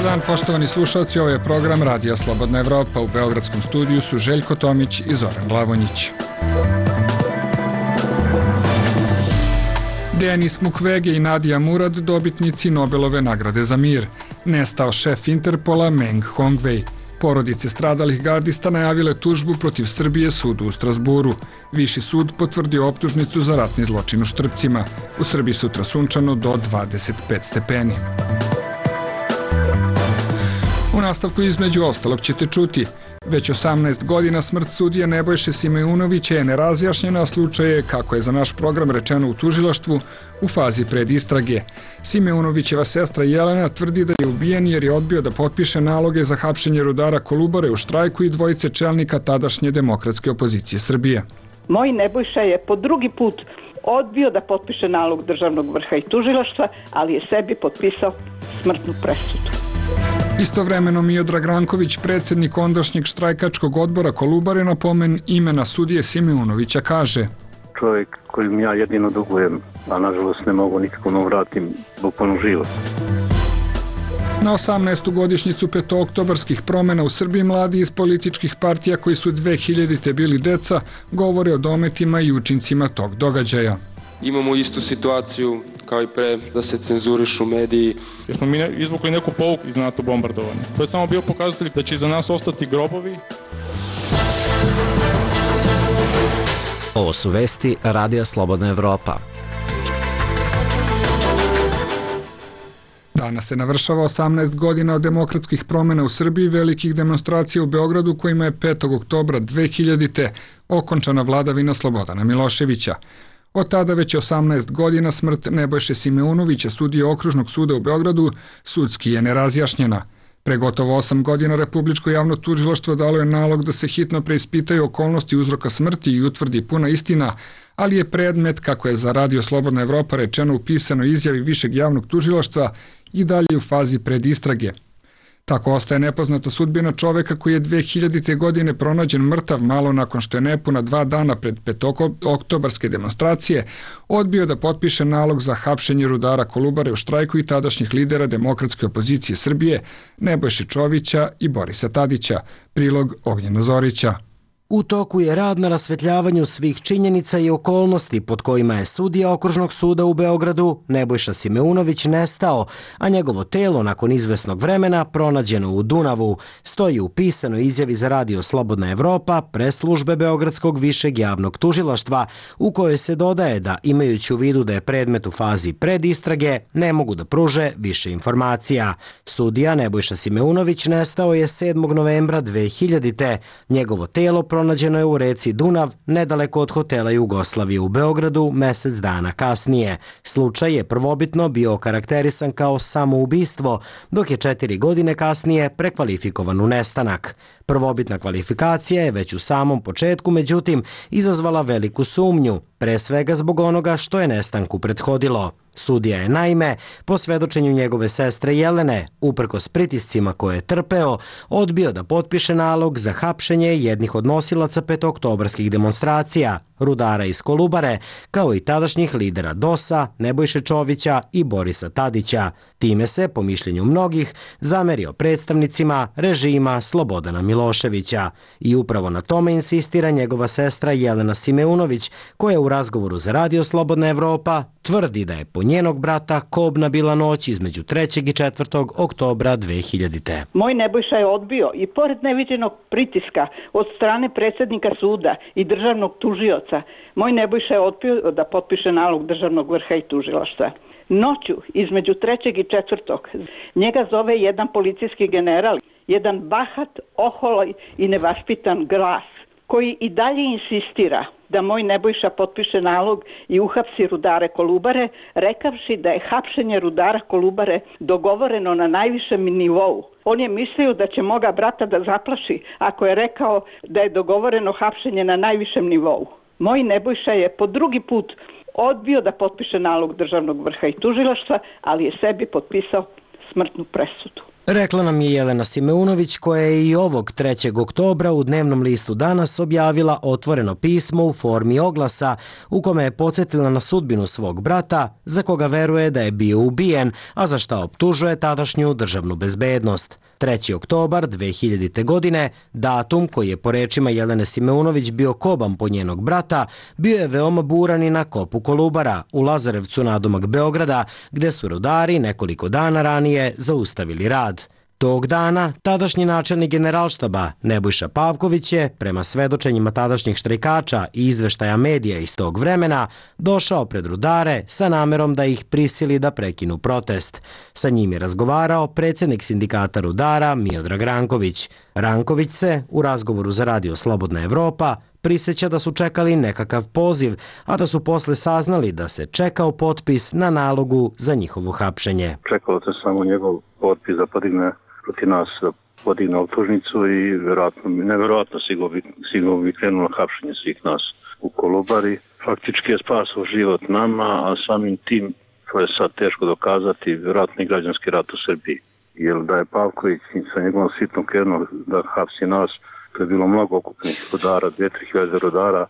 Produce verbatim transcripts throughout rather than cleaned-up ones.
dan, poštovani slušalci, ovo je program Radija Slobodna Evropa. U beogradskom studiju su Željko Tomić i Zoran Glavonjić. Denis Mukwege i Nadia Murad, dobitnici Nobelove nagrade za mir. Nestao šef Interpola Meng Hongwei. Porodice stradalih gardista najavile tužbu protiv Srbije sudu u Strasburu. Viši sud potvrdio optužnicu za ratni zločin u Štrpcima. U Srbiji sutra sunčano do dvadeset pet stepeni. U nastavku između ostalog ćete čuti: već osamnaest godina smrt sudije Nebojše Simeunovića je nerazjašnjena, a slučaj je, kako je za naš program rečeno u tužilaštvu, u fazi predistrage. Simeunovićeva sestra Jelena tvrdi da je ubijen jer je odbio da potpiše naloge za hapšenje rudara Kolubare u štrajku i dvojice čelnika tadašnje demokratske opozicije Srbije. Moj Nebojša je po drugi put odbio da potpiše nalog državnog vrha i tužilaštva, ali je sebi potpisao smrtnu presudu. Istovremeno Miodrag Ranković, predsjednik ondašnjeg štrajkačkog odbora Kolubare, na pomen imena sudije Simeunovića kaže: čovjek kojim ja jedino dugujem, a nažalost ne mogu nikako da vratim bukvalno život. Na osamnaestu godišnjicu petooktobarskih promjena u Srbiji mladi iz političkih partija koji su dve hiljadite bili deca govore o dometima i učincima tog događaja. Imamo istu situaciju kao i pre, da se cenzurišu mediji. Jer smo mi izvukli neku pouku iz NATO bombardovanja. To je samo bio pokazatelj da će iza nas ostati grobovi. Ovo su vesti Radija Slobodna Evropa. Danas se navršava osamnaest godina od demokratskih promjena u Srbiji, velikih demonstracija u Beogradu kojima je petog oktobra dve hiljadite okončana vladavina Slobodana Miloševića. Od tada već osamnaest godina smrt Nebojše Simeunovića, sudije Okružnog suda u Beogradu, sudski je nerazjašnjena. Pre gotovo osam godina Republičko javno tužilaštvo dalo je nalog da se hitno preispitaju okolnosti uzroka smrti i utvrdi puna istina, ali je predmet, kako je za Radio Slobodna Evropa rečeno u pisanoj izjavi Višeg javnog tužilaštva, i dalje u fazi predistrage. Tako ostaje nepoznata sudbina čoveka koji je dve hiljadite godine pronađen mrtav malo nakon što je nepuna dva dana pred petooktobarske demonstracije odbio da potpiše nalog za hapšenje rudara Kolubare u štrajku i tadašnjih lidera demokratske opozicije Srbije Nebojše Čovića i Borisa Tadića. Prilog Ognjena Zorića. U toku je rad na rasvetljavanju svih činjenica i okolnosti pod kojima je sudija Okružnog suda u Beogradu Nebojša Simeunović nestao, a njegovo telo nakon izvesnog vremena pronađeno u Dunavu, stoji u pisanoj izjavi za Radio Slobodna Evropa pres službe Beogradskog višeg javnog tužilaštva, u kojoj se dodaje da, imajući u vidu da je predmet u fazi predistrage, ne mogu da pruže više informacija. Sudija Nebojša Simeunović nestao je sedmog novembra dve hiljadite. Njegovo telo pronađeno je u reci Dunav, nedaleko od hotela Jugoslavije u Beogradu, mesec dana kasnije. Slučaj je prvobitno bio okarakterisan kao samoubistvo, dok je četiri godine kasnije prekvalifikovan u nestanak. Prvobitna kvalifikacija je već u samom početku, međutim, izazvala veliku sumnju, pre svega zbog onoga što je nestanku prethodilo. Sudija je naime, po svedočenju njegove sestre Jelene, uprkos pritiscima koje je trpeo, odbio da potpiše nalog za hapšenje jednih od nosilaca petooktobarskih demonstracija, rudara iz Kolubare, kao i tadašnjih lidera D O S-a, Nebojše Čovića i Borisa Tadića. Time se, po mišljenju mnogih, zamerio predstavnicima režima Slobodana Miloševića. I upravo na tome insistira njegova sestra Jelena Simeunović, koja u razgovoru za Radio Slobodna Evropa tvrdi da je po njenog brata kobna bila noć između trećeg i četvrtog oktobra dve hiljadite. Moj Nebojša je odbio i pored neviđenog pritiska od strane predsjednika suda i državnog tužioca, moj Nebojša je odbio da potpiše nalog državnog vrha i tužilaštva. Noću između trećeg i četvrtog njega zove jedan policijski general, jedan bahat, oholoj i nevaspitan glas, koji i dalje insistira da moj Nebojša potpiše nalog i uhapsi rudare Kolubare, rekavši da je hapšenje rudara Kolubare dogovoreno na najvišem nivou. On je mislio da će moga brata da zaplaši ako je rekao da je dogovoreno hapšenje na najvišem nivou. Moj Nebojša je po drugi put odbio da potpiše nalog državnog vrha i tužilaštva, ali je sebi potpisao smrtnu presudu. Rekla nam je Jelena Simeunović, koja je i ovog trećeg oktobra u dnevnom listu Danas objavila otvoreno pismo u formi oglasa u kome je podsjetila na sudbinu svog brata, za koga veruje da je bio ubijen, a za šta optužuje tadašnju državnu bezbednost. treći oktobar dve hiljadite. godine, datum koji je po rečima Jelene Simeunović bio koban po njenog brata, bio je veoma buran i na kopu Kolubara u Lazarevcu nadomak Beograda, gde su rudari nekoliko dana ranije zaustavili rad. Tog dana, tadašnji načelnik generalštaba Nebojša Pavković je, prema svedočenjima tadašnjih štrajkača i izveštaja medija iz tog vremena, došao pred rudare sa namerom da ih prisili da prekinu protest. Sa njim je razgovarao predsjednik sindikata rudara Miodrag Ranković. Ranković se, u razgovoru za Radio Slobodna Evropa, prisjeća da su čekali nekakav poziv, a da su posle saznali da se čekao potpis na nalogu za njihovo hapšenje. Čekalo se samo njegov potpis da podigne protiv nas, da podigne optužnicu i vjerojatno, nevjerojatno sigurno bi krenulo hapšenje svih nas u Kolubari. Faktički je spasao život nama, a samim tim, to je sad teško dokazati, vjerojatno i građanski rat u Srbiji. Jer da je Pavković sa njegovom sitnom krenuo da hapsi nas, to je bilo mnogo okupnih rodara, dve, tri hiljade rodara,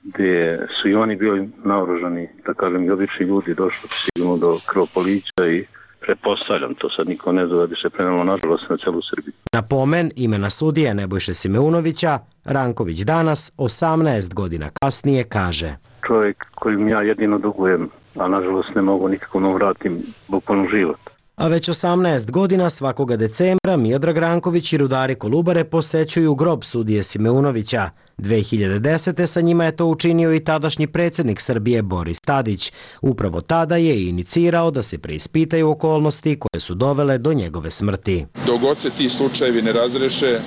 gdje su i oni bili naoružani, da kažem i obični ljudi, došli sigurno do krvoprolića i pretpostavljam, to sad niko ne zna da bi se prenelo nažalost na celu Srbiju. Na pomen imena sudije Nebojše Simeunovića, Ranković danas, osamnaest godina kasnije, kaže: Čovjek kojim ja jedino dugujem, a nažalost ne mogu nikako da vratim bukvalno život. A već osamnaest godina svakoga decembra Miodrag Ranković i rudari Kolubare posećuju grob sudije Simeunovića. dve hiljade desete. sa njima je to učinio i tadašnji predsjednik Srbije Boris Tadić. Upravo tada je inicirao da se preispitaju okolnosti koje su dovele do njegove smrti. Dok god se ti slučajevi ne razreše,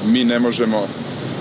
mi ne možemo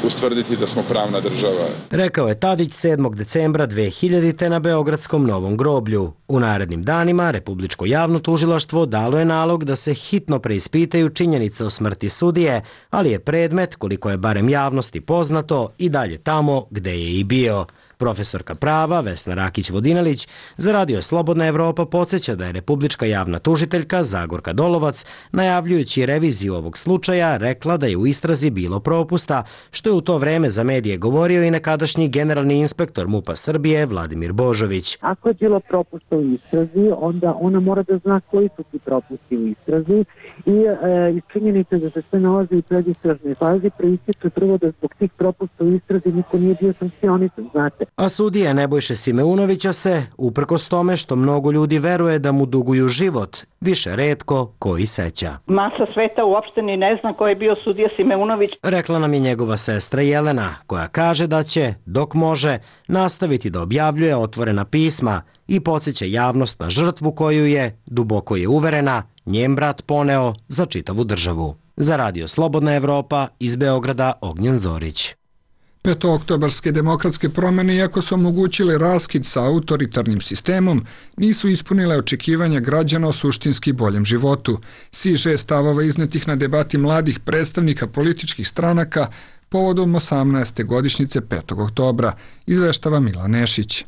ustvrditi da smo pravna država. Rekao je Tadić sedmog decembra dve hiljadite. na Beogradskom Novom groblju. U narednim danima Republičko javno tužilaštvo dalo je nalog da se hitno preispitaju činjenice o smrti sudije, ali je predmet, koliko je barem javnosti poznato, i dalje tamo gde je i bio. Profesorka prava Vesna Rakić-Vodinelić za Radio Slobodna Evropa podsjeća da je Republička javna tužiteljka Zagorka Dolovac, najavljujući reviziju ovog slučaja, rekla da je u istrazi bilo propusta, što je u to vreme za medije govorio i nekadašnji generalni inspektor MUP-a Srbije Vladimir Božović. Ako je bilo propusta u istrazi, onda ona mora da zna koji su ti propusti u istrazi i e, iz činjenice da se sve nalazi u predistražnoj fazi proističe prvo da zbog tih propusta u istrazi niko nije bio sankcionisan, znate. A sudije Nebojše Simeunovića se, uprkos tome što mnogo ljudi veruje da mu duguju život, više retko koji seća. Masa sveta uopšte ni ne zna ko je bio sudija Simeunović. Rekla nam je njegova sestra Jelena, koja kaže da će, dok može, nastaviti da objavljuje otvorena pisma i podsjeća javnost na žrtvu koju je, duboko je uverena, njen brat poneo za čitavu državu. Za Radio Slobodna Evropa, iz Beograda, Ognjen Zorić. Petooktobarske demokratske promjene, iako su omogućile raskid sa autoritarnim sistemom, nisu ispunile očekivanja građana o suštinski boljem životu. Siže stavova iznetih na debati mladih predstavnika političkih stranaka povodom osamnaeste godišnjice petog oktobra, izveštava Milan Nešić.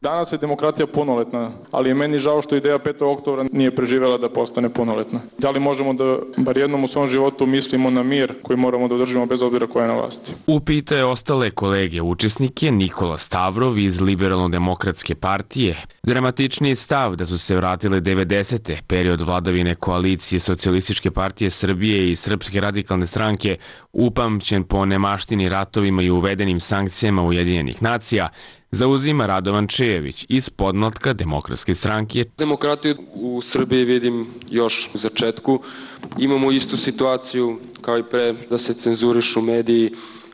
Danas je demokratija punoletna, ali je meni žao što ideja petog oktobra nije preživjela da postane punoletna. Da li možemo da bar jednom u svom životu mislimo na mir koji moramo da održimo bez obzira koja je na vlasti? Upita je ostale kolege učesnike Nikola Stavrov iz Liberalno-demokratske partije. Dramatičniji stav da su se vratile devedesete. period vladavine koalicije Socijalističke partije Srbije i Srpske radikalne stranke, upamćen po nemaštini ratovima i uvedenim sankcijama Ujedinjenih nacija, zauzima Radovan Čejević iz podmlatka Demokratske stranke. Demokratiju u Srbiji vidim još u začetku. Imamo istu situaciju kao i pre, da se cenzurišu mediji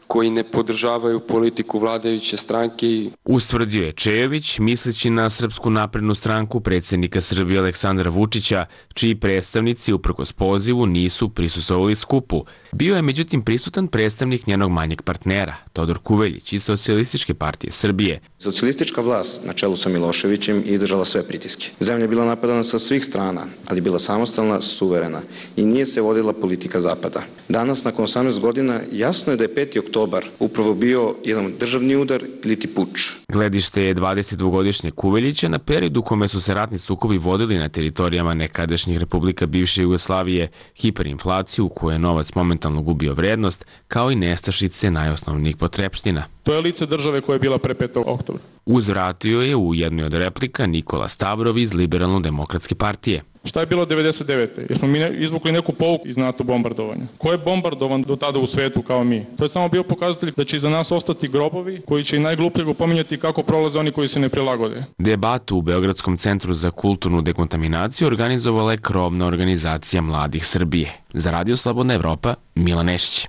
koji ne podržavaju politiku vladajuće stranke. Ustvrdio je Čejević, misleći na Srpsku naprednu stranku predsjednika Srbije Aleksandra Vučića, čiji predstavnici uprkos pozivu nisu prisustvovali skupu. Bio je međutim prisutan predstavnik njenog manjeg partnera, Todor Kuveljić iz Socijalističke partije Srbije. Socijalistička vlast na čelu sa Miloševićem izdržala sve pritiske. Zemlja je bila napadana sa svih strana, ali bila samostalna, suverena i nije se vodila politika Zapada. Danas, nakon osamnaest godina, jasno je da je peti oktobar oktobar upravo bio jedan državni udar ili ti puč. Gledište je dvadesetdvogodišnjeg Kuveljića na periodu u kome su se ratni sukobi vodili na teritorijama nekadašnjih republika bivše Jugoslavije, hiperinflaciju u kojoj je novac momentalno gubio vrednost, kao i nestašice najosnovnijih potrepština. To je lice države koja je bila pre petog oktobra. Uzvratio je u jednoj od replika Nikola Stavrov iz Liberalno-demokratske partije. Šta je bilo devedeset devete Jer smo mi izvukli neku pouku iz NATO bombardovanja. Ko je bombardovan do tada u svetu kao mi? To je samo bio pokazatelj da će iza nas ostati grobovi koji će i najgluplje pominjati kako prolaze oni koji se ne prilagode. Debatu u Beogradskom centru za kulturnu dekontaminaciju organizovala je krovna organizacija Mladih Srbije. Za Radio Slobodna Evropa, Milan Nešić.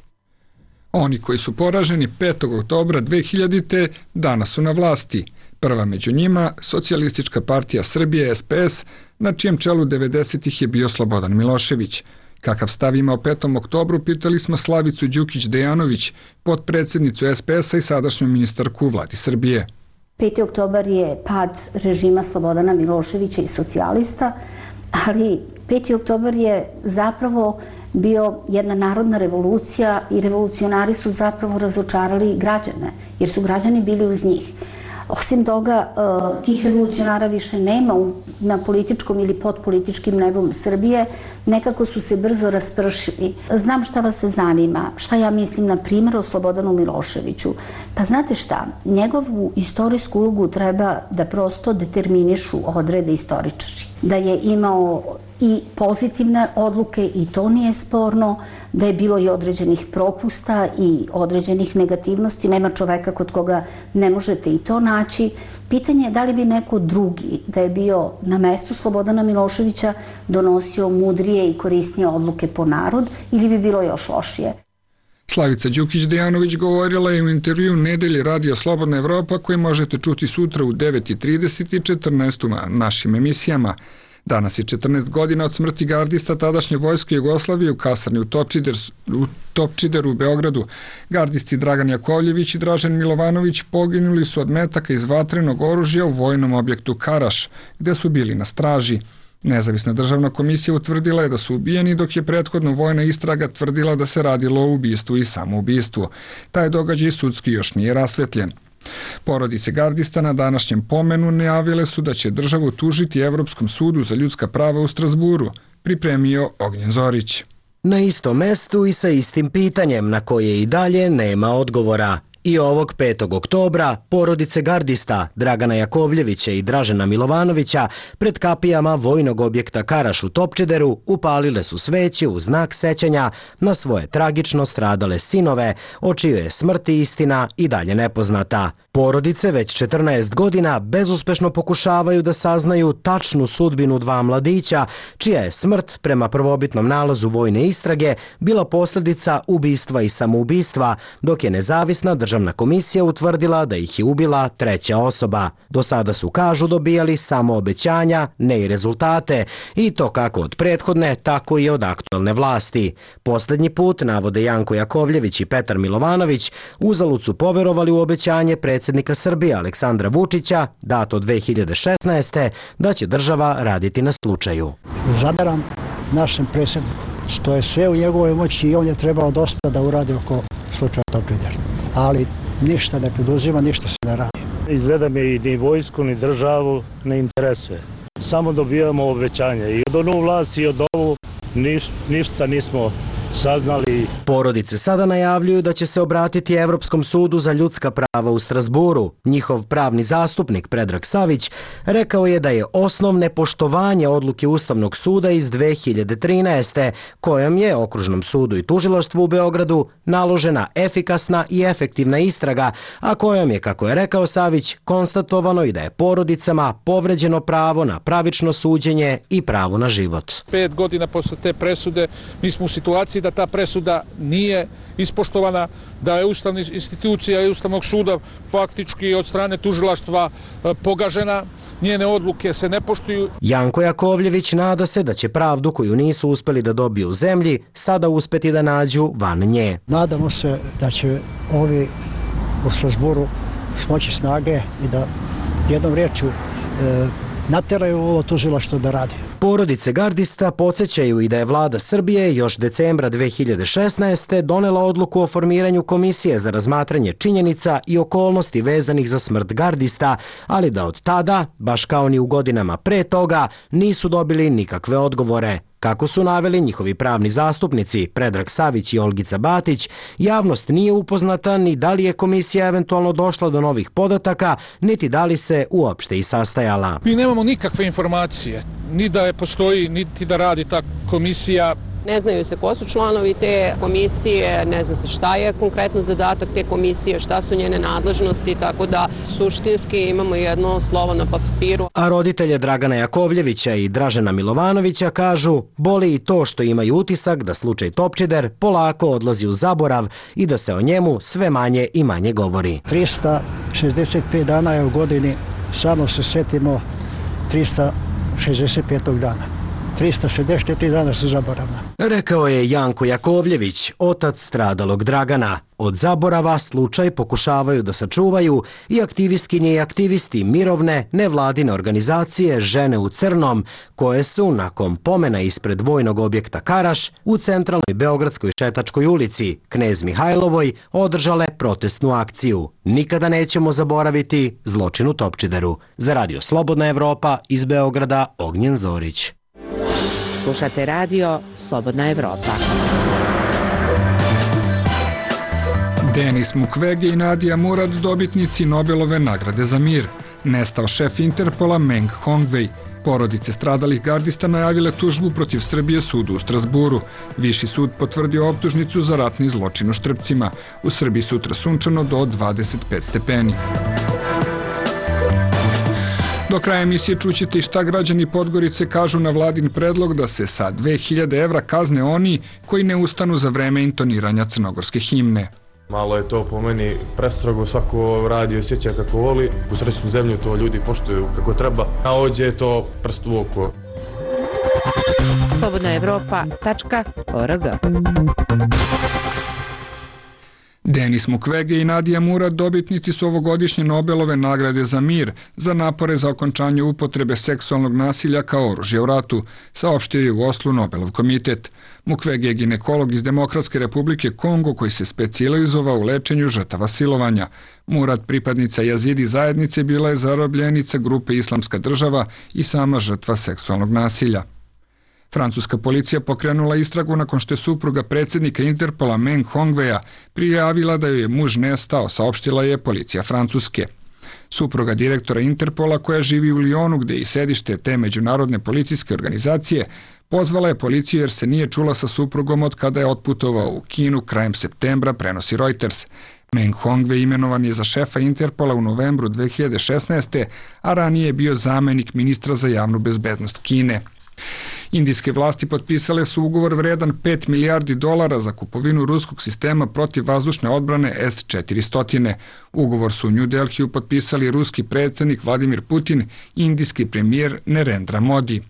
Oni koji su poraženi petog oktobra dve hiljadite danas su na vlasti. Prva među njima, Socijalistička partija Srbije S P S, na čijem čelu devedesetih je bio Slobodan Milošević. Kakav stav ima o petom oktobru, pitali smo Slavicu Đukić-Dejanović, potpredsjednicu S P S-a i sadašnju ministarku u vladi Srbije. peti oktobar je pad režima Slobodana Miloševića i socijalista, ali peti oktobar je zapravo bio jedna narodna revolucija i revolucionari su zapravo razočarali građane, jer su građani bili uz njih. Osim toga, tih revolucionara više nema na političkom ili pod političkim nebom Srbije, nekako su se brzo raspršili. Znam šta vas zanima, šta ja mislim na primjer o Slobodanu Miloševiću. Pa znate šta, njegovu istorijsku ulogu treba da prosto determinišu odrede istoričari. Da je imao i pozitivne odluke i to nije sporno, da je bilo i određenih propusta i određenih negativnosti, nema čoveka kod koga ne možete i to naći. Pitanje je da li bi neko drugi, da je bio na mestu Slobodana Miloševića, donosio mudrije i korisnije odluke po narod ili bi bilo još lošije. Slavica Đukić-Dejanović govorila je u intervju Nedelje Radio Slobodna Evropa koji možete čuti sutra u devet i trideset i četrnaest u našim emisijama. Danas je četrnaest godina od smrti gardista tadašnje vojske Jugoslavije u kasarni u, Topčider, u Topčideru u Beogradu. Gardisti Dragan Jakovljević i Dražen Milovanović poginuli su od metaka iz vatrenog oružja u vojnom objektu Karaš, gde su bili na straži. Nezavisna državna komisija utvrdila je da su ubijeni, dok je prethodno vojna istraga tvrdila da se radilo o ubistvu i samoubistvu. Taj događaj sudski još nije rasvetljen. Porodice gardista na današnjem pomenu najavile su da će državu tužiti Evropskom sudu za ljudska prava u Strasburu, pripremio Ognjen Zorić. Na istom mestu i sa istim pitanjem na koje i dalje nema odgovora. I ovog petog oktobra porodice gardista Dragana Jakovljevića i Dražena Milovanovića pred kapijama vojnog objekta Karaš u Topčideru upalile su sveće u znak sećanja na svoje tragično stradale sinove, o čijoj je smrti istina i dalje nepoznata. Porodice već četrnaest godina bezuspešno pokušavaju da saznaju tačnu sudbinu dva mladića, čija je smrt prema prvobitnom nalazu vojne istrage bila posljedica ubistva i samoubistva, dok je nezavisna državna komisija utvrdila da ih je ubila treća osoba. Do sada su, kažu, dobijali samo obećanja, ne i rezultate, i to kako od prethodne, tako i od aktualne vlasti. Posljednji put, navode Janko Jakovljević i Petar Milovanović, uzalud su poverovali u obećanje predsjednika Srbije Aleksandra Vučića, dato dve hiljade šesnaeste. da će država raditi na slučaju. Zameram našem predsjedniku, što je sve u njegovoj moći i on je trebao dosta da uradi oko slučaja Topčider. Ali ništa ne preduzima, ništa se ne radi. Izgleda me i ni vojsku, ni državu ne interesuje. Samo dobijamo obećanja i od onu vlast i od ovu niš, ništa nismo saznali. Porodice sada najavljuju da će se obratiti Evropskom sudu za ljudska prava u Strasburu. Njihov pravni zastupnik Predrag Savić rekao je da je osnov nepoštovanje odluke Ustavnog suda iz dve hiljade trinaeste. kojom je Okružnom sudu i tužilaštvu u Beogradu naložena efikasna i efektivna istraga, a kojom je, kako je rekao Savić, konstatovano i da je porodicama povređeno pravo na pravično suđenje i pravo na život. Pet godina posle te presude mi smo u situaciji da ta presuda nije ispoštovana, da je ustavna institucija i Ustavnog suda faktički od strane tužilaštva pogažena, njene odluke se ne poštuju. Janko Jakovljević nada se da će pravdu koju nisu uspeli da dobiju u zemlji sada uspeti da nađu van nje. Nadamo se da će ovi u Strasburu smoći snage i da jednom riječju nateraju ovo tužilaštvo da radi. Porodice gardista podsjećaju i da je vlada Srbije još decembra dve hiljade šesnaeste. donela odluku o formiranju komisije za razmatranje činjenica i okolnosti vezanih za smrt gardista, ali da od tada, baš kao ni u godinama pre toga, nisu dobili nikakve odgovore. Kako su naveli njihovi pravni zastupnici Predrag Savić i Olgica Batić, javnost nije upoznata ni da li je komisija eventualno došla do novih podataka, niti da li se uopšte i sastajala. Mi nemamo nikakve informacije, ni da je postoji, niti da radi ta komisija. Ne znaju se ko su članovi te komisije, ne zna se šta je konkretno zadatak te komisije, šta su njene nadležnosti, tako da suštinski imamo jedno slovo na papiru. A roditelje Dragana Jakovljevića i Dražena Milovanovića kažu, boli i to što imaju utisak da slučaj Topčider polako odlazi u zaborav i da se o njemu sve manje i manje govori. trista šezdeset pet dana je u godini, samo se setimo trista šezdeset petog dana. trista šezdeset četiri dana su zaboravna. Rekao je Janko Jakovljević, otac stradalog Dragana. Od zaborava slučaj pokušavaju da sačuvaju i aktivistkinje i aktivisti mirovne nevladine organizacije Žene u crnom, koje su nakon pomena ispred vojnog objekta Karaš u centralnoj beogradskoj Šetačkoj ulici, Knez Mihajlovoj, održale protestnu akciju. Nikada nećemo zaboraviti zločin u Topčideru. Za Radio Slobodna Evropa iz Beograda, Ognjen Zorić. Slušate radio Slobodna Evropa. Denis Mukwege i Nadia Murad, dobitnici Nobelove nagrade za mir. Nestao šef Interpola Meng Hongwei. Porodice stradalih gardista najavile tužbu protiv Srbije sudu u Strasburu. Viši sud potvrdio optužnicu za ratni zločin u Štrpcima. U Srbiji sutra sunčano do dvadeset pet stepeni. Do kraja emisije čućete i šta građani Podgorice kažu na vladin predlog da se sa dve hiljade evra kazne oni koji ne ustanu za vreme intoniranja crnogorske himne. Malo je to po meni prestrogo, svako radi i osjeća kako voli. U srećnu zemlju to ljudi poštuju kako treba, a ovdje je to prst u oko. slobodna evropa tačka org. Denis Mukwege i Nadia Murad dobitnici su ovogodišnje Nobelove nagrade za mir za napore za okončanje upotrebe seksualnog nasilja kao oružja u ratu, saopštio je u Oslu Nobelov komitet. Mukwege je ginekolog iz Demokratske republike Kongo koji se specijalizovao u lečenju žrtava silovanja. Murad, pripadnica Jazidi zajednice, bila je zarobljenica grupe Islamska država i sama žrtva seksualnog nasilja. Francuska policija pokrenula istragu nakon što je supruga predsjednika Interpola Meng Hongweia prijavila da joj je muž nestao, saopštila je policija Francuske. Supruga direktora Interpola, koja živi u Lyonu, gde je i sedište te međunarodne policijske organizacije, pozvala je policiju jer se nije čula sa suprugom od kada je otputovao u Kinu krajem septembra, prenosi Reuters. Meng Hongwei imenovan je za šefa Interpola u novembru dve hiljade šesnaeste. a ranije je bio zamenik ministra za javnu bezbednost Kine. Indijske vlasti potpisale su ugovor vredan pet milijardi dolara za kupovinu ruskog sistema protivvazdušne odbrane S četiristo. Ugovor su u New Delhiju potpisali ruski predsjednik Vladimir Putin i indijski premijer Narendra Modi.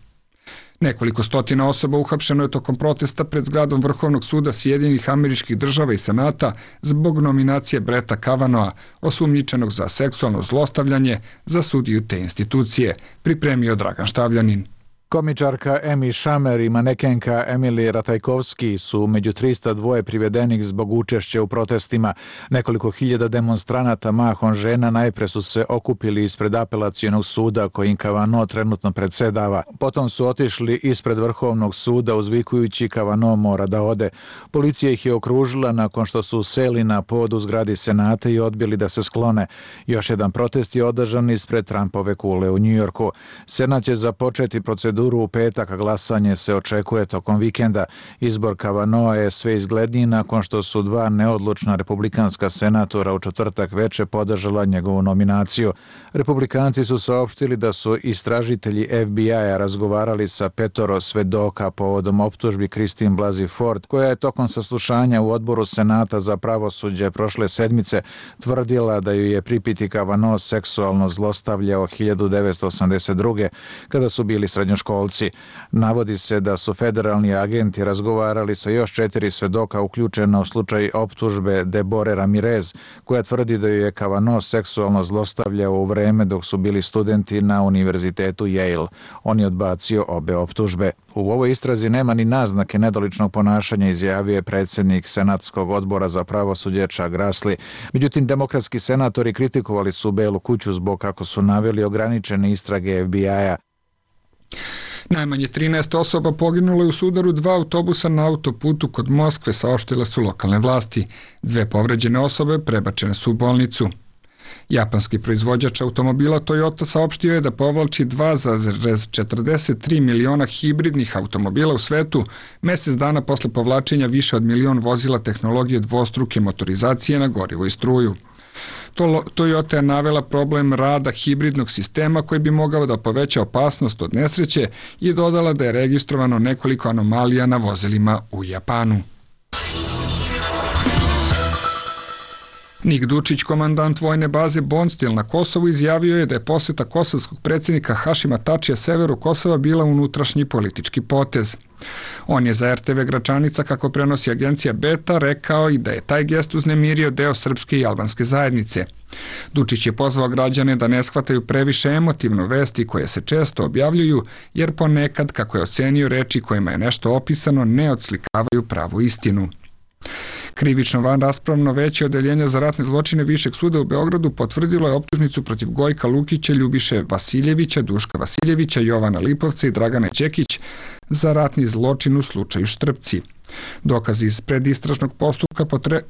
Nekoliko stotina osoba uhapšeno je tokom protesta pred zgradom Vrhovnog suda Sjedinjenih Američkih Država i Senata zbog nominacije Bretta Kavanagha, osumnjičenog za seksualno zlostavljanje, za sudiju te institucije, pripremio Dragan Štavljanin. Komičarka Emi Schumer i manekenka Emily Ratajkovski su među trista dva privedenih zbog učešća u protestima. Nekoliko hiljada demonstranata, mahom žena, najpre su se okupili ispred apelacionog suda kojim Kavanaugh trenutno predsedava. Potom su otišli ispred Vrhovnog suda uzvikujući Kavanaugh mora da ode. Policija ih je okružila nakon što su seli na pod u zgradi Senata i odbili da se sklone. Još jedan protest je održan ispred Trumpove kule u Njujorku. Senat će započeti proceduru u petak, a glasanje se očekuje tokom vikenda. Izbor Kavanaugha je sve izgledniji nakon što su dva neodlučna republikanska senatora u četvrtak veče podržala njegovu nominaciju. Republikanci su saopštili da su istražitelji F B I-a razgovarali sa petoro svedoka povodom optužbi Christine Blasey Ford, koja je tokom saslušanja u odboru Senata za pravosuđe prošle sedmice tvrdila da ju je pripiti Kavanaugh seksualno zlostavljao hiljadu devetsto osamdeset druge. kada su bili srednjoškolci. srednjoškolci. Navodi se da su federalni agenti razgovarali sa još četiri svedoka uključena u slučaj optužbe Debore Ramirez, koja tvrdi da ju je Kavanaugh seksualno zlostavljao u vreme dok su bili studenti na univerzitetu Yale. On je odbacio obe optužbe. U ovoj istrazi nema ni naznake nedoličnog ponašanja, izjavio je predsjednik Senatskog odbora za pravosuđe Chuck Grassley. Međutim, demokratski senatori kritikovali su Belu kuću zbog, kako su naveli, ograničene istrage F B I-a. Najmanje trinaest osoba poginulo je u sudaru dva autobusa na autoputu kod Moskve, saopštile su lokalne vlasti. Dve povređene osobe prebačene su u bolnicu. Japanski proizvođač automobila Toyota saopštio je da povlači dva zarez četrdeset tri miliona hibridnih automobila u svetu, mesec dana posle povlačenja više od milion vozila tehnologije dvostruke motorizacije na gorivo i struju. Toyota je navela problem rada hibridnog sistema koji bi mogao da poveća opasnost od nesreće i dodala da je registrovano nekoliko anomalija na vozilima u Japanu. Nik Dučić, komandant vojne baze Bonstil na Kosovu, izjavio je da je poseta kosovskog predsjednika Hašima Tačija severu Kosova bila unutrašnji politički potez. On je za R T V Gračanica, kako prenosi agencija Beta, rekao i da je taj gest uznemirio deo srpske i albanske zajednice. Dučić je pozvao građane da ne shvataju previše emotivno vesti koje se često objavljuju, jer ponekad, kako je ocenio, reči kojima je nešto opisano ne odslikavaju pravu istinu. Krivično vanraspravno veće odeljenja za ratne zločine Višeg suda u Beogradu potvrdilo je optužnicu protiv Gojka Lukića, Ljubiše Vasiljevića, Duška Vasiljevića, Jovana Lipovca i Dragane Čekić za ratni zločin u slučaju Štrpci. Dokazi iz predistražnog postupka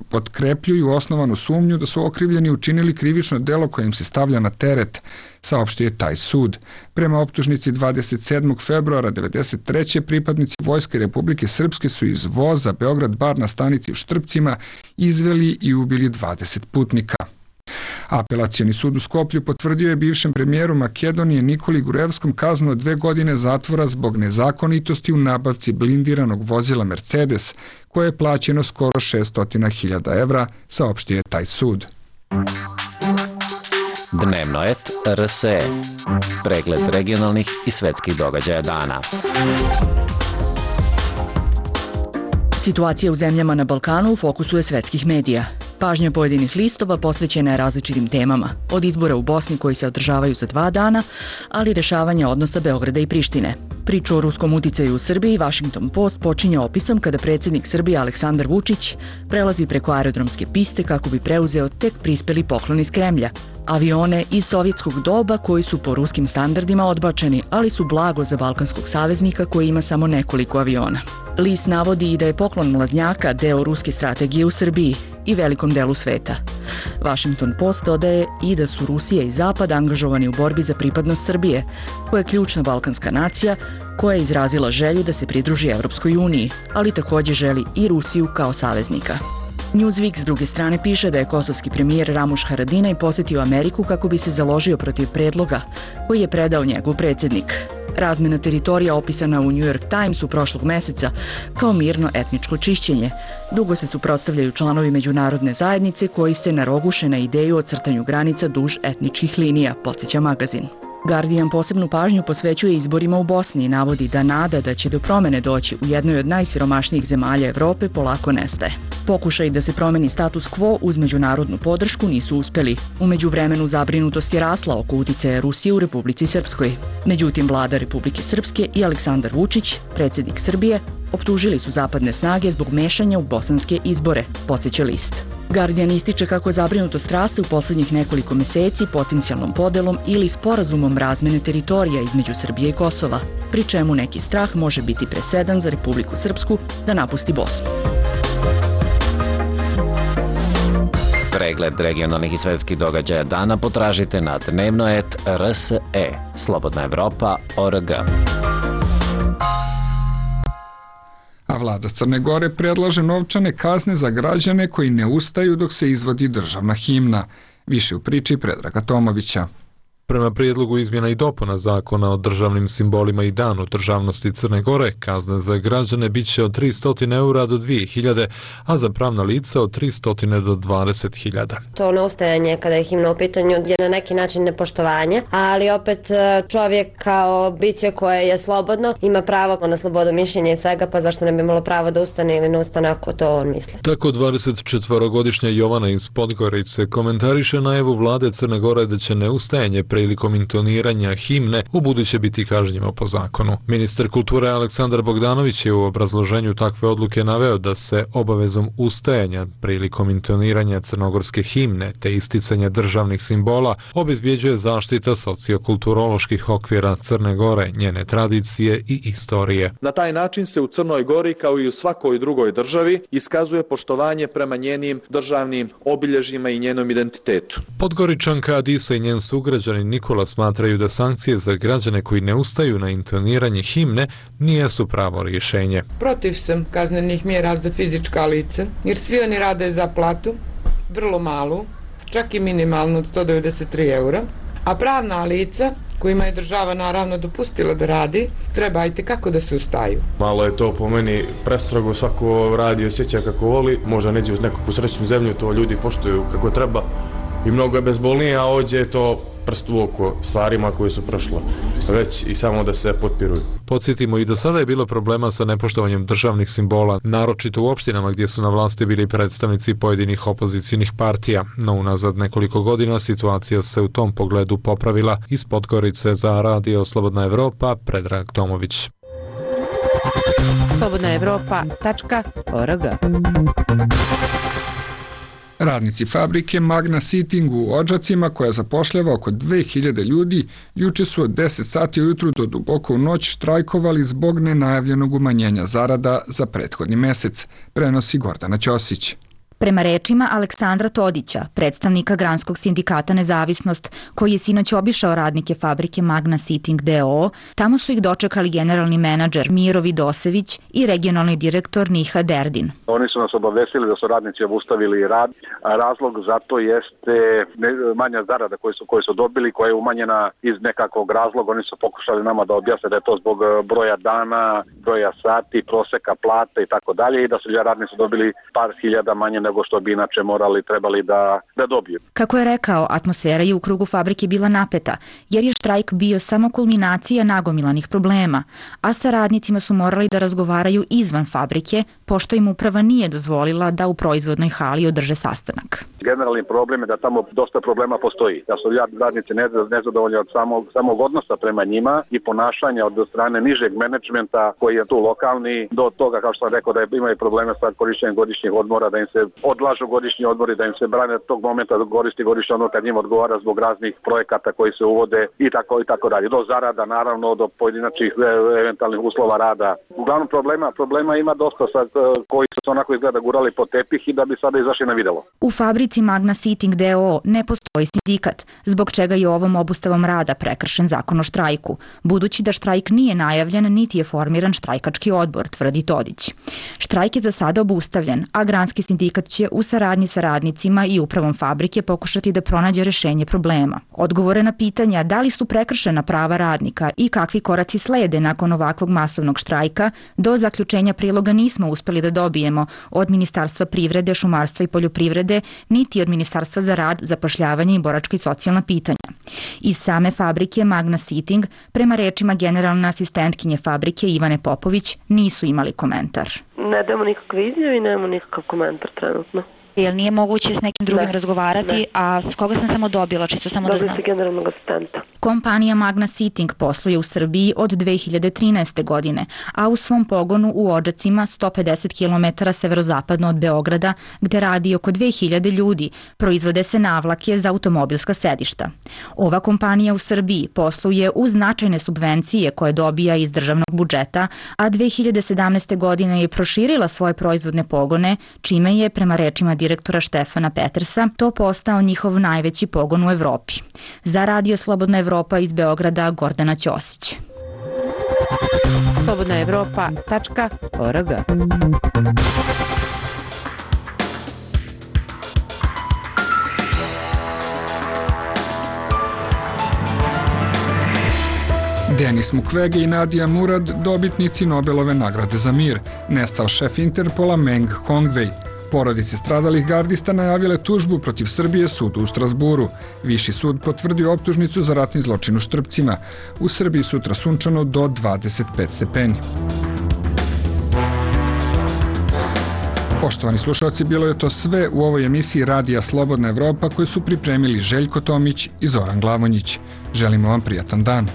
potkrepljuju osnovanu sumnju da su okrivljeni učinili krivično delo koje im se stavlja na teret, saopštio je taj sud. Prema optužnici dvadeset sedmog februara devedeset treće pripadnici Vojske Republike Srpske su iz voza Beograd bar na stanici u Štrpcima izveli i ubili dvadeset putnika. Apelacioni sud u Skoplju potvrdio je bivšem premijeru Makedonije Nikoli Gurevskom kaznu od dve godine zatvora zbog nezakonitosti u nabavci blindiranog vozila Mercedes, koje je plaćeno skoro šessto hiljada evra, saopštio je taj sud. Dnevno et R S E. Pregled regionalnih i svetskih događaja dana. Situacija u zemljama na Balkanu u fokusu je svetskih medija. Pažnja pojedinih listova posvećena je različitim temama, od izbora u Bosni koji se održavaju za dva dana, ali rešavanja odnosa Beograda i Prištine. Priču o ruskom uticaju u Srbiji Washington Post počinje opisom kada predsjednik Srbije Aleksandar Vučić prelazi preko aerodromske piste kako bi preuzeo tek prispeli poklon iz Kremlja. Avione iz sovjetskog doba koji su po ruskim standardima odbačeni, ali su blago za balkanskog saveznika koji ima samo nekoliko aviona. List navodi i da je poklon mlaznjaka deo ruske strategije u Srbiji i velikom delu sveta. Washington Post dodaje i da su Rusija i Zapad angažovani u borbi za pripadnost Srbije, koja je ključna balkanska nacija koja je izrazila želju da se pridruži Evropskoj uniji, ali također želi i Rusiju kao saveznika. Newsweek s druge strane piše da je kosovski premijer Ramuš Haradinaj posjetio Ameriku kako bi se založio protiv predloga koji je predao njegov predsjednik. Razmjena teritorija opisana u New York Timesu prošlog meseca kao mirno etničko čišćenje. Dugo se suprotstavljaju članovi međunarodne zajednice koji se naroguše na ideju o crtanju granica duž etničkih linija, podsjeća magazin. Guardian posebnu pažnju posvećuje izborima u Bosni i navodi da nada da će do promene doći u jednoj od najsiromašnijih zemalja Evrope polako nestaje. Pokušaj da se promeni status quo uz međunarodnu podršku nisu uspeli. U međuvremenu zabrinutost je rasla oko uticaja Rusije u Republici Srpskoj. Međutim, vlada Republike Srpske i Aleksandar Vučić, predsjednik Srbije, optužili su zapadne snage zbog mešanja u bosanske izbore, podsjeća list. Guardian ističe kako zabrinutost raste u posljednjih nekoliko meseci potencijalnom podelom ili sporazumom razmene teritorija između Srbije i Kosova, pri čemu neki strah može biti presedan za Republiku Srpsku da napusti Bosnu. Pregled regionalnih i svetskih događaja dana potražite na dnevno et R S E, Slobodna Evropa, O R G. A vlada Crne Gore predlaže novčane kazne za građane koji ne ustaju dok se izvodi državna himna. Više u priči Predraga Tomovića. Prema prijedlogu izmjena i dopuna zakona o državnim simbolima i danu državnosti Crne Gore, kazne za građane bit će od tristo eura do dvije hiljade, a za pravna lica od tristo do dvadeset hiljada. To neustajanje kada je himna u pitanju je na neki način nepoštovanje, ali opet čovjek kao biće koje je slobodno ima pravo na slobodu mišljenja i svega, pa zašto ne bi imalo pravo da ustane ili ne ustane ako to on misli. Tako dvadesetčetvorogodišnja Jovana iz Podgorice komentariše najavu vlade Crne Gore da će neustajanje prilikom intoniranja himne u buduće biti kažnjivo po zakonu. Ministar kulture Aleksandar Bogdanović je u obrazloženju takve odluke naveo da se obavezom ustajanja prilikom intoniranja crnogorske himne te isticanja državnih simbola obezbjeđuje zaštita sociokulturoloških okvira Crne Gore, njene tradicije i istorije. Na taj način se u Crnoj Gori, kao i u svakoj drugoj državi, iskazuje poštovanje prema njenim državnim obilježjima i njenom identitetu. Podgoričanka Adisa i njen sugrađanin Nikola smatraju da sankcije za građane koji ne ustaju na intoniranje himne nijesu pravo rješenje. Protiv sam kaznenih mjera za fizička lica, jer svi oni rade za platu, vrlo malu, čak i minimalnu od sto devedeset tri eura, a pravna lica kojima je država naravno dopustila da radi, treba i tekako da se ustaju. Malo je to po meni prestrogo, svako radi i osjeća kako voli, možda neđe u nekakvu srećnu zemlju, to ljudi poštuju kako treba i mnogo je bezbolnije, a ovdje je to prst u oko stvarima koje su prošle, već i samo da se potpiruju. Podsjetimo i do sada je bilo problema sa nepoštovanjem državnih simbola, naročito u opštinama gdje su na vlasti bili predstavnici pojedinih opozicijnih partija, no unazad nekoliko godina situacija se u tom pogledu popravila. Iz Podgorice za Radio Slobodna Evropa, Predrag Tomović. slobodna evropa tačka org. Radnici fabrike Magna Seating u Odžacima, koja zapošljava oko dve hiljade ljudi, juče su od deset sati ujutru do duboko u noć štrajkovali zbog nenajavljenog umanjenja zarada za prethodni mesec, prenosi Gordana Ćosić. Prema rečima Aleksandra Todića, predstavnika Granskog sindikata Nezavisnost, koji je sinoć obišao radnike fabrike Magna Seating d o o, tamo su ih dočekali generalni menadžer Miro Vidosević i regionalni direktor Niha Derdin. Oni su nas obavestili da su radnici obustavili rad. Razlog za to jeste manja zarada koju su, koju su dobili, koja je umanjena iz nekakvog razloga. Oni su pokušali nama da objasne da je to zbog broja dana, broja sati, proseka plate i tako dalje, i da su radnici dobili par hiljada manje nego što bi inače morali, trebali da, da dobiju. Kako je rekao, atmosfera je u krugu fabrike bila napeta, jer je štrajk bio samo kulminacija nagomilanih problema, a sa radnicima su morali da razgovaraju izvan fabrike, pošto im uprava nije dozvolila da u proizvodnoj hali održe sastanak. Generalni problem je da tamo dosta problema postoji, da su radnici nezadovoljni od samog, samog odnosa prema njima i ponašanja od strane nižeg menadžmenta koji je tu lokalni, do toga, kao što sam rekao, da imaju probleme sa korišćenjem godišnjih odmora, da im se odlažu godišnji odmori, da im se brane tog momenta da koristi godišnji odmor kad njim odgovara zbog raznih projekata koji se uvode i tako i tako dalje. Do zarada, naravno, do pojedinačnih eventualnih uslova rada. Uglavnom problema, problema ima dosta sa, koji su onako izgleda gurali po tepih i da bi sada izašli na videlo. U fabrici Magna Seating d o o ne postoji sindikat, zbog čega je ovom obustavom rada prekršen zakon o štrajku, budući da štrajk nije najavljen niti je formiran štrajkački odbor, tvrdi Todić. Štrajk je za sada obustavljen, a Granski sindikat će u saradnji sa radnicima i upravom fabrike pokušati da pronađe rešenje problema. Odgovore na pitanja da li su prekršena prava radnika i kakvi koraci slede nakon ovakvog masovnog štrajka, do zaključenja priloga nismo uspeli da dobijemo od Ministarstva privrede, šumarstva i poljoprivrede, niti od Ministarstva za rad, zapošljavanje i boračka i socijalna pitanja. Iz same fabrike Magna Seating, prema rečima generalne asistentkinje fabrike Ivane Popović, nisu imali komentar. Ne damo nikakve izjave i nemamo nikakav komentar trenutno. Jel nije moguće s nekim drugim ne, razgovarati, ne. a s koga sam samo dobila, čisto samo Dobili da znam? ste generalnog asistenta. Kompanija Magna Seating posluje u Srbiji od dve hiljade trinaeste. godine, a u svom pogonu u Odžacima, sto pedeset kilometara severozapadno od Beograda, gde radi oko dve hiljade ljudi, proizvode se navlake za automobilska sedišta. Ova kompanija u Srbiji posluje uz značajne subvencije koje dobija iz državnog budžeta, a dve hiljade sedamnaeste. godine je proširila svoje proizvodne pogone, čime je, prema rečima direktora Štefana Petersa, to postao njihov najveći pogon u Evropi. Za Radio Slobodna Evropa iz Beograda, Gordana Ćosić. slobodna evropa tačka org. Denis Mukwege i Nadia Murad, dobitnici Nobelove nagrade za mir. Nestao šef Interpola Meng Hongwei. Porodice stradalih gardista najavile tužbu protiv Srbije sudu u Strasburu. Viši sud potvrdio optužnicu za ratni zločin u Štrpcima. U Srbiji sutra sunčano do dvadeset pet stepeni. Poštovani slušalci, bilo je to sve u ovoj emisiji Radija Slobodna Evropa koju su pripremili Željko Tomić i Zoran Glavonjić. Želimo vam prijatan dan.